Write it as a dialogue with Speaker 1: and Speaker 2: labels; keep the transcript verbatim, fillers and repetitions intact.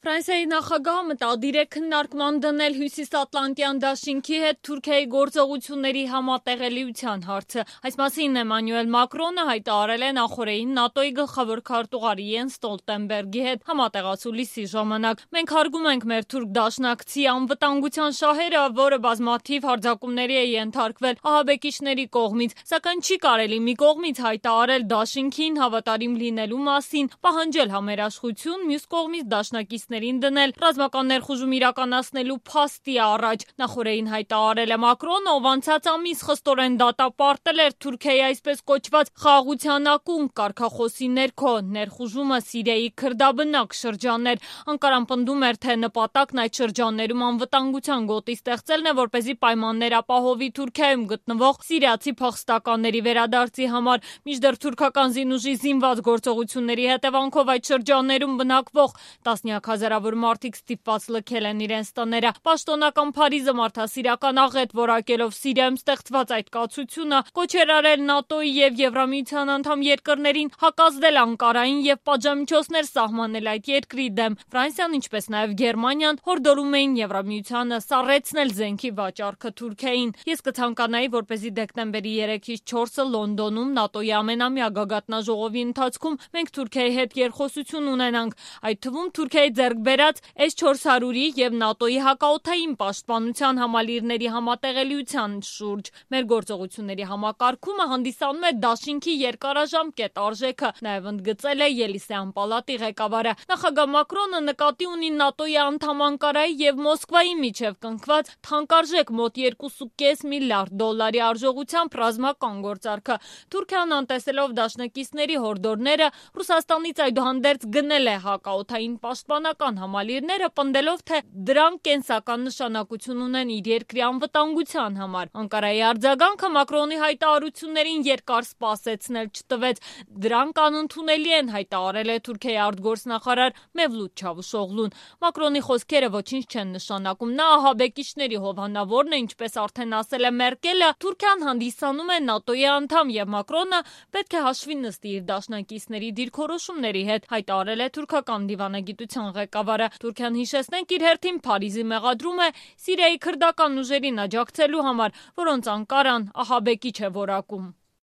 Speaker 1: Ֆրանսիայի նախագահը մտադիր է քննարկման դնել Հյուսիսատլանտյան դաշինքի հետ Թուրքիայի գործողությունների համատեղելիության հարցը։ Այս մասին Էմանուել Մակրոնը հայտարարել է նախօրեին ՆԱՏՕ-ի գլխավոր քարտուղար Յենս Ստոլտենբերգի հետ համատեղացուլիսի ժամանակ։ Մենք հարգում ենք մեր թուրք դաշնակցի անվտանգության շահերը, որը բազմաթիվ հարձակումների է ենթարկվել ահաբեկիչների կողմից, սակայն չի կարելի մի կողմից հայտարարել դաշինքին հավատարիմ լինելու մասին, պահանջել համերաշխություն, մյուս կողմից դաշնակիցներին դնել ռազմական ներխուժում իրականացնելու փաստի առաջ։ Նախօրեին հայտարարել է Մակրոնը, ով անցած ամիս խստորեն դատապարտել էր Թուրքիայի այսպես կոչված խաղաղության ակունք կարգախոսի ներքո ներխուժումը Սիրիայի քրդաբնակ շրջաններ։ Անկարան պնդում էր, թե նպատակն այդ շրջաններում անվտանգության գոտի ստեղծելն է, որպեսզի պայմաններ ապահովի Թուրքիայում գտնվող սիրիացի փախստականների վերադարձի համար, մինչդեռ թուրքական զինուժի զինված գործողությունների հետևանքով այդ շրջաններում բնակվող տասնյակ հազարավոր մարդիկ ստիպված լքել են իրենց տները։ Պաշտոնական Փարիզը մարդասիրական աղետ որակելով Սիրիայում ստեղծված այդ կացությունը կոչ էր արել ՆԱՏՕ-ի եւ Եվրամիության անդամ երկրներին հակազդել Անկարային եւ պատժամիջոցներ սահմանել այդ երկրի դեմ։ Ֆրանսիան, ինչպես նաեւ Գերմանիան, հորդորում էին Եվրամիությանը սառեցնել զենքի վաճառքը Թուրքիային։ Ես կցանկանայի, որպեսզի դեկտեմբերի երեքից չորսը Լոնդոնում ՆԱՏՕ-ի ամենամյա գագաթնաժողովի ընթացքում մենք Թուրքիայի հետ երկխոսություն ունենանք, այդ թվում Թուրքիայի ձեռք բերած էս չորս հարյուրի եւ ՆԱՏՕ-ի հակաօդային պաշտպանության համալիրների համատեղելիության շուրջ։ Մեր գործողությունների համակարգումը հանդիսանում է դաշինքի երկարաժամկետ արժեքը, նաեւ ընդգծել է Ելիսեյան պալատի ղեկավարը։ Նախագահ Մակրոնը նկատի ունի ՆԱՏՕ-ի անդամ Անկարայի եւ Մոսկվայի միջև կնքված թանկարժեք մոտ երկու կόμμα պենս միլիարդ դոլարի արժողությամբ ռազմական գործարքը։ Թուրքիան, անտեսելով դաշնակիցների հորդորները, Ռուսաստանից այդուհանդերձ գնել է հակաօդային պաշտպանական համալիրները, պնդելով, թե դրանք կենսական նշանակություն ունեն իր երկրի անվտանգության համար։ Անկարայի արձագանքը Մակրոնի հայտարարություններին երկար սպասեցնել չտվեց։ Դրանք անընդունելի են, հայտարարել է Թուրքիայի արտգործնախարար Մևլութ Չավուշօղլուն։ Մակրոնի խոսքերը ոչինչ չեն նշանակում։ Նա ահաբեկիչների հովանավորն է, ինչպես արդեն ասել է Մերկելը, Թուրքիան հանդիսանում է ՆԱՏՕ-ի անդամ եւ Մակրոնը պետք է հաշվի նստի իր դաշնակիցների դիրքորոշումների հետ, հայտարարել է թուրքական դիվանագիտության ղեկավարը։ Թուրքիան, հիշեցնենք, իր հերթին Փարիզի մեղադրում է Սիրիայի քրդական ուժերին աջակցելու համար, որոնց Անկարան ահաբեկիչ է որակում։